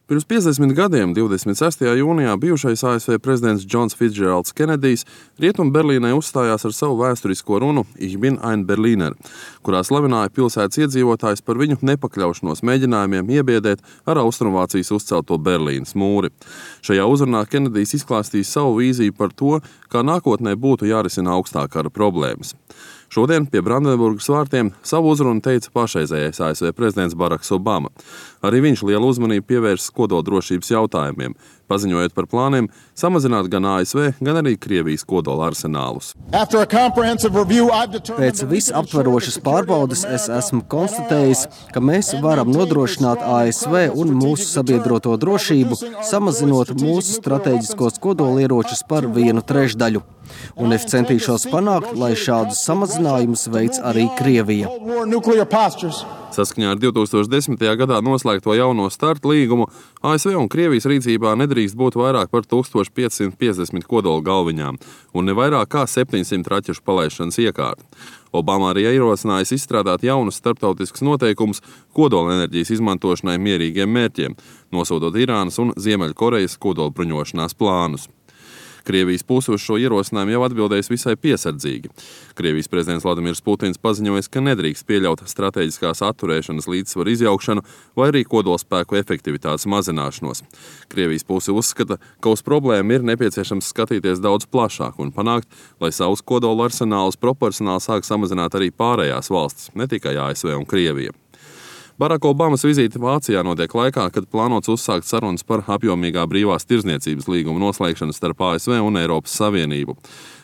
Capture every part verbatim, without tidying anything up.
Pirms piecdesmit gadiem, divdesmit sestajā jūnijā, bijušais A S V prezidents Džons Fitzgeralds Kenedijs Rietumu Berlīnē uzstājās ar savu vēsturisko runu Ich bin ein Berliner, kurā slavināja pilsētas iedzīvotājus par viņu nepakļaušanos mēģinājumiem iebiedēt ar Austrumvācijas uzcelto Berlīnas mūri. Šajā uzrunā Kenedijs izklāstīja savu vīziju par to, kā nākotnē būtu jārisina augstā kara problēmas. Šodien pie Brandenburgas vārtiem savu uzrunu teica pašreizējais A S V prezidents Baraks Obama. Arī viņš lielu uzmanību pievērsis kodoldrošības jautājumiem, paziņojot par plāniem samazināt gan A S V, gan arī Krievijas kodola arsenālus. Pēc visaptverošas pārbaudes es esmu konstatējis, ka mēs varam nodrošināt A S V un mūsu sabiedroto drošību, samazinot mūsu strateģiskos kodolieročus par vienu trešdaļu. Un es centīšos panākt, lai šādus samazinājumus veic arī Krievija. Saskaņā ar divtūkstoš desmitajā gadā noslēgto jauno starta līgumu, A S V un Krievijas rīcībā nedrīkst būt vairāk par tūkstoš piecsimt piecdesmit kodola galviņām un ne vairāk kā septiņsimt raķešu palaišanas iekārtu. Obama arī ierosinājis izstrādāt jaunus starptautiskus noteikumus kodola enerģijas izmantošanai mierīgiem mērķiem, nosodot Irānas un Ziemeļkorejas kodolbruņošanās plānus. Krievijas puse uz šo ierosinājumu jau atbildējis visai piesardzīgi. Krievijas prezidents Vladimirs Putins paziņojis, ka nedrīkst pieļaut strateģiskās atturēšanas līdzsvaru izjaukšanu vai arī kodolspēku efektivitātes mazināšanos. Krievijas puse uzskata, ka uz problēmu ir nepieciešams skatīties daudz plašāk un panākt, lai savus kodola arsenālus proporcionāli sāk samazināt arī pārējās valstis, ne tikai A S V un Krievija. Baraka Obamas vizīte Vācijā notiek laikā, kad plānots uzsākt sarunas par apjomīgā brīvās tirdzniecības līguma noslēgšanu starp A S V un Eiropas Savienību.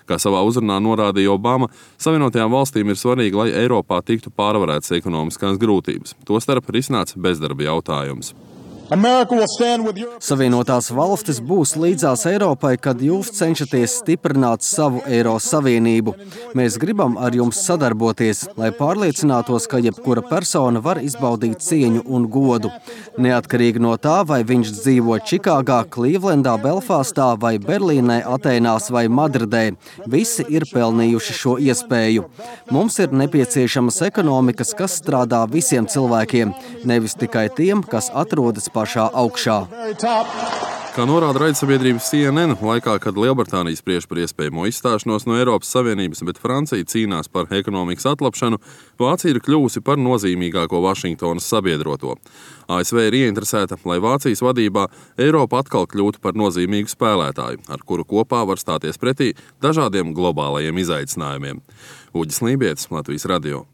Kā savā uzrunā norādīja Obama, Savienotajām valstīm ir svarīgi, lai Eiropā tiktu pārvarētas ekonomiskās grūtības, tostarp risināts bezdarba jautājums. Savienotās valstis būs līdzās Eiropai, kad jūs cenšaties stiprināt savu Eiro Savienību. Mēs gribam ar jums sadarboties, lai pārliecinātos, ka jebkura persona var izbaudīt cieņu un godu. Neatkarīgi no tā, vai viņš dzīvo Čikāgā, Klīvlendā, Belfastā vai Berlīnē, Atēnās vai Madridē, visi ir pelnījuši šo iespēju. Mums ir nepieciešamas ekonomikas, kas strādā visiem cilvēkiem, nevis tikai tiem, kas atrodas pašā augšā. Kā norāda raidsabiedrības C N N, laikā, kad Lielbritānija spriež par iespējamo izstāšanos no Eiropas Savienības, bet Francija cīnās par ekonomikas atlapšanu, Vācija ir kļuvusi par nozīmīgāko Vašingtonas sabiedroto. A S V ir ieinteresēta, lai Vācijas vadībā Eiropa atkal kļūtu par nozīmīgu spēlētāju, ar kuru kopā var stāties pretī dažādiem globālajiem izaicinājumiem. Uģis Lībietis, Latvijas radio.